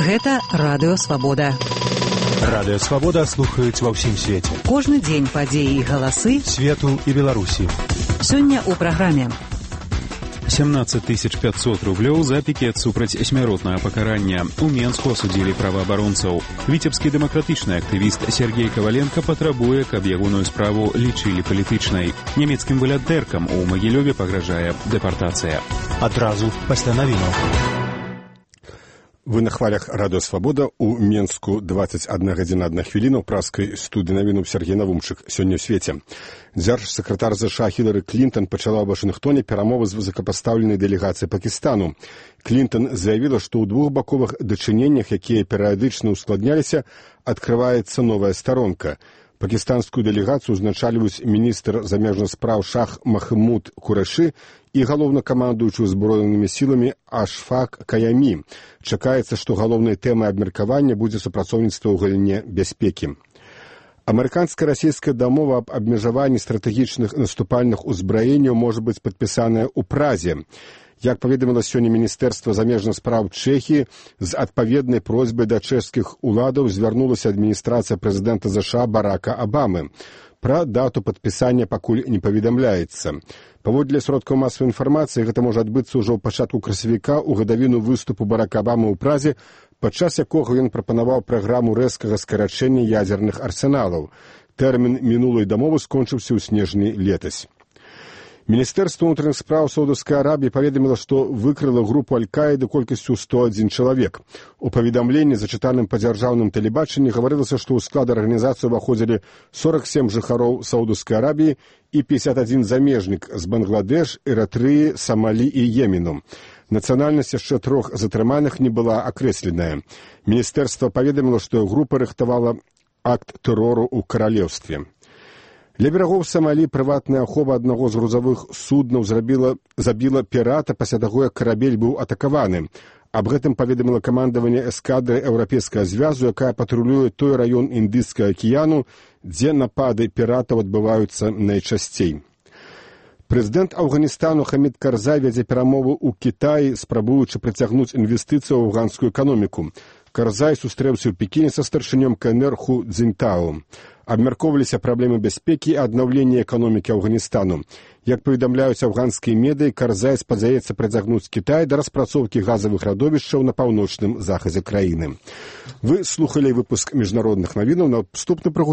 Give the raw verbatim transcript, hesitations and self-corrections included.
Гэта Радыё Свабода. Радыё Свабода слухаюць ва ўсім свеце. Кожны дзень падзеі і галасы свету і Беларусі. Сёння ў праграме. семнадцать тысяч пятьсот рублёў за пікет супраць смяротнага пакарання. У Менску асудзілі праваабаронцаў. Віцебскі дэмакратычны актывіст Сергей Коваленко патрабуе, каб ягоную справу лічылі палітычнай. Нямецкім валянтэркам у Магілёве пагражае дэпартацыя. Адразу пасля навінаў. Вы на хвалях Радыё Свабода. У Менску двадцать одна гадзіна одна хвіліна. У праскай студыі навінуў Сергей Навумчык. Сёння ў свеце. Дзяржсакратар ЗША Хілары Клінтон пачала ў Вашынгтоне перамовы з высокапастаўленай дэлегацыяй Пакістану. Клінтон заявіла, што ў двухбаковых дачыненнях, якія перыядычна ускладняліся, адкрываецца новая старонка. Пакістанскую дэлегацыю узначальваюць міністр замежных спраў Шах Махмуд Курэши і галоўнакамандуючы ўзброенымі сіламі Ашфак Каямі. Чакаецца, што галоўнай тэмай абмеркавання будзе супрацоўніцтва ў галіне бяспекі. Амерыканска-расійская дамова аб абмежаванні стратэгічных наступальных узбраенняў можа быць падпісаная ў Празе. Як паведаміла сёння Міністэрства замежных спраў Чэхіі, з адпаведнай просьбай да чэшскіх уладаў звярнулася адміністрацыя прэзідэнта ЗША Барака Абамы. Пра дату падпісання пакуль не паведамляецца. Паводле сродкаў масавай інфармацыі, гэта можа адбыцца ўжо ў пачатку красавіка ў гадавіну выступу Барака Абамы ў Празе, падчас якога ён прапанаваў праграму рэзкага скарачэння ядзерных арсеналаў. Тэрмін мінулай дамовы скончыўся ў снежні летась. Міністэрства ўнутраных спраў Саудаўскай Арабіі паведаміла, што выкрыла групу Аль-Каіды колькасцю сто адзін чалавек. У паведамленні, зачытаным па дзяржаўным тэлебачанні, гаварылася, што ў склад арганізацыі ўваходзілі сорок сем жыхароў Саудаўскай Арабіі і пятьдесят один замежнік з Бангладеш, Эратрыі, Самалі і Йемену. Нацыянальнасць яшчэ трох затрыманых не была акрэсленая. Міністэрства паведаміла, што група рыхтавала акт тэрору ў каралеўстве. Ля берагоў Самалі прыватная ахова аднаго з грузавых суднаў зрабіла, забіла пірата пасля таго, як карабель быў атакаваны. Аб гэтым паведаміла камандаванне эскадры Еўрапейскага звязу, якая патрулюе той раён Індыйскага акіяну, дзе напады піратаў адбываюцца найчасцей. Прэзідэнт Афганістану Хамід Карзай вядзе перамовы ў Кітаі, спрабуючы прыцягнуць інвестыцыі ў афганскую эканоміку. Карзай сустрэўся ў Пекіне са старшынём КНР Ху Цзіньтао. Абмяркоўваліся праблемы бяспекі і аднаўлення эканомікі Афганістану. Як паведамляюць афганскія медыі, Карзай спадзяецца прыцягнуць Кітай да распрацоўкі газавых радовішчаў на паўночным захадзе краіны. Вы слухалі выпуск міжнародных навінаў. На наступны прагу